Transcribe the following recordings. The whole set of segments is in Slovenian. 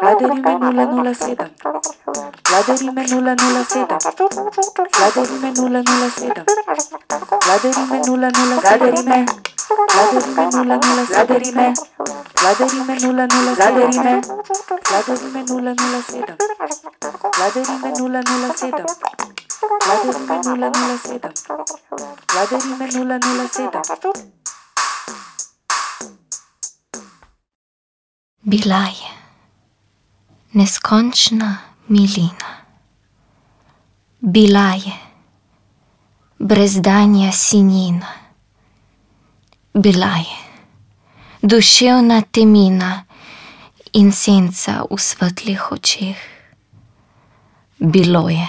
Vladarime 007. Vladarime 007. Vladarime 007. Vladarime 007. Vladarime 007. Vladarime 007. Vladarime 007. Vladarime 007. Vladarime 007. Vladarime 007. Bila je neskončna milina. Bila je brezdanja sinjina. Bila je duševna temina in senca v svetlih očeh. Bilo je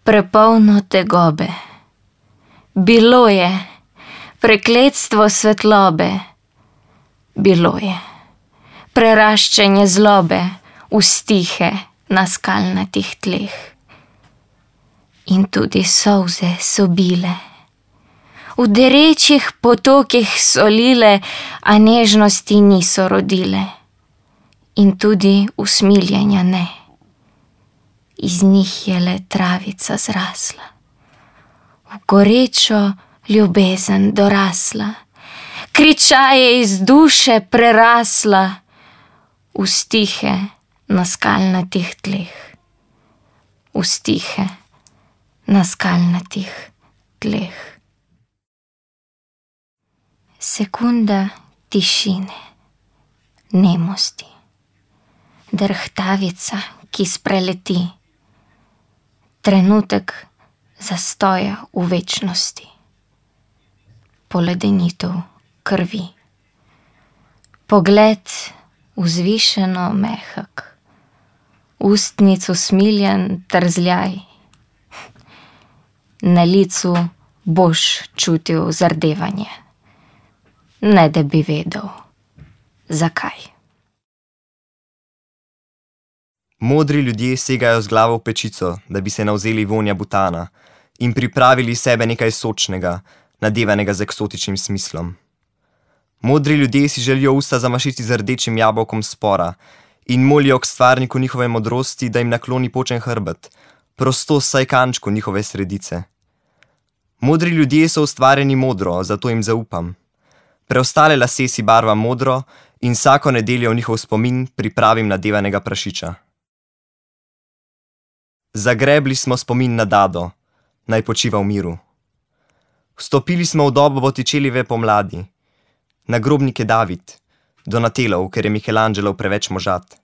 prepolno tegobe. Bilo je prekletstvo svetlobe. Bilo je preraščanje zlobe v stihe na skalnatih tleh. In tudi solze so bile, v derečih potokih solile, a nežnosti niso rodile. In tudi usmiljenja ne, iz njih je le travica zrasla, v gorečo ljubezen dorasla, kričaje iz duše prerasla, v stihe na skalnatih tleh. V stihe na skalnatih tleh. Sekunda tišine, nemosti, drhtavica, ki spreleti, trenutek zastoja v večnosti, poledenitev krvi, pogled vzvišeno mehak, ustnic usmiljen trzljaj, na licu boš čutil zardevanje, ne da bi vedel, zakaj. Modri ljudje segajo z glavo v pečico, da bi se navzeli vonja butana in pripravili sebe nekaj sočnega, nadevanega z eksotičnim smislom. Modri ljudje si želijo usta zamašiti z rdečim jabolkom spora in molijo k stvarniku njihove modrosti, da jim nakloni počen hrbet, prosto saj kančku njihove sredice. Modri ljudje so ustvarjeni modro, zato jim zaupam. Preostale lase si barvam modro in vsako nedeljo v njihov spomin pripravim nadevanega prašiča. Zagrebli smo spomin na Dado, naj počiva v miru. Vstopili smo v dobo Botticellieve pomladi. Nagrobnik je David, Donatelov, ker je Michelangelo preveč možat.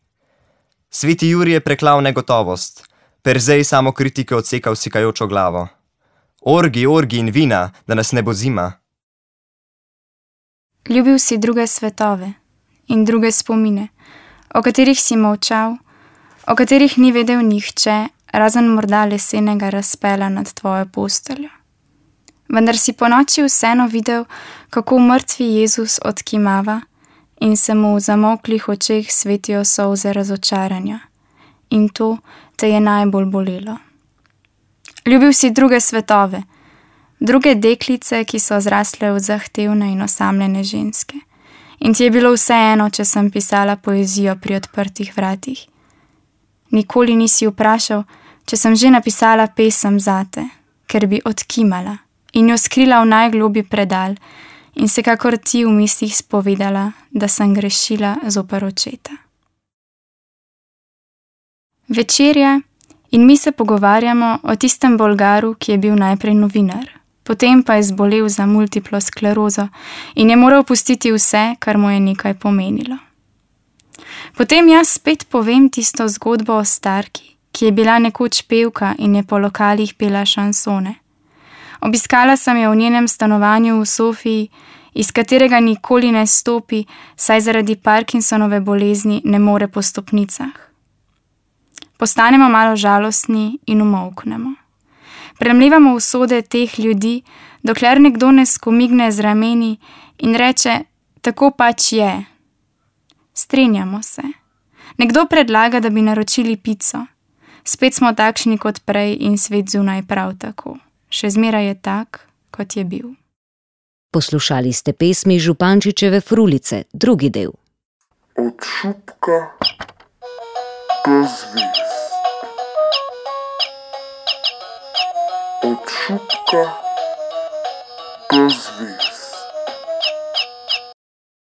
Sveti Jurij je preklal negotovost, Perzej samo kritike odsekal sikajočo glavo. Orgi, orgi in vina, da nas ne bo zima. Ljubil si druge svetove in druge spomine, o katerih si molčal, o katerih ni vedel nihče, razen morda lesenega razpela nad tvojo posteljo. Vendar si ponoči vseeno videl, kako mrtvi Jezus odkimava in se mu v zamolklih očeh svetijo solze razočaranja. In to te je najbolj bolelo. Ljubil si druge svetove, druge deklice, ki so zrasle v zahtevne in osamljene ženske. In ti je bilo vseeno, če sem pisala poezijo pri odprtih vratih. Nikoli nisi vprašal, če sem že napisala pesem zate, ker bi odkimala in jo skrila v najgloblji predal in se kakor ti v mislih spovedala, da sem grešila zoper očeta. Večerja in mi se pogovarjamo o tistem Bolgaru, ki je bil najprej novinar, potem pa je zbolel za multiplo sklerozo in je moral pustiti vse, kar mu je nekaj pomenilo. Potem jaz spet povem tisto zgodbo o starki, ki je bila nekoč pevka in je po lokalih pela šansone. Obiskala sem jo v njenem stanovanju v Sofiji, iz katerega nikoli ne stopi, saj zaradi Parkinsonove bolezni ne more po stopnicah. Postanemo malo žalostni in umolknemo. Premlevamo usode teh ljudi, dokler nekdo ne skomigne z rameni in reče, tako pač je. Strinjamo se. Nekdo predlaga, da bi naročili pico. Spet smo takšni kot prej in svet zunaj prav tako. Še zmeraj je tak, kot je bil. Poslušali ste pesmi Župančičeve Frulice, drugi del. Od šupka do zvezd. Od šupka do zvezd.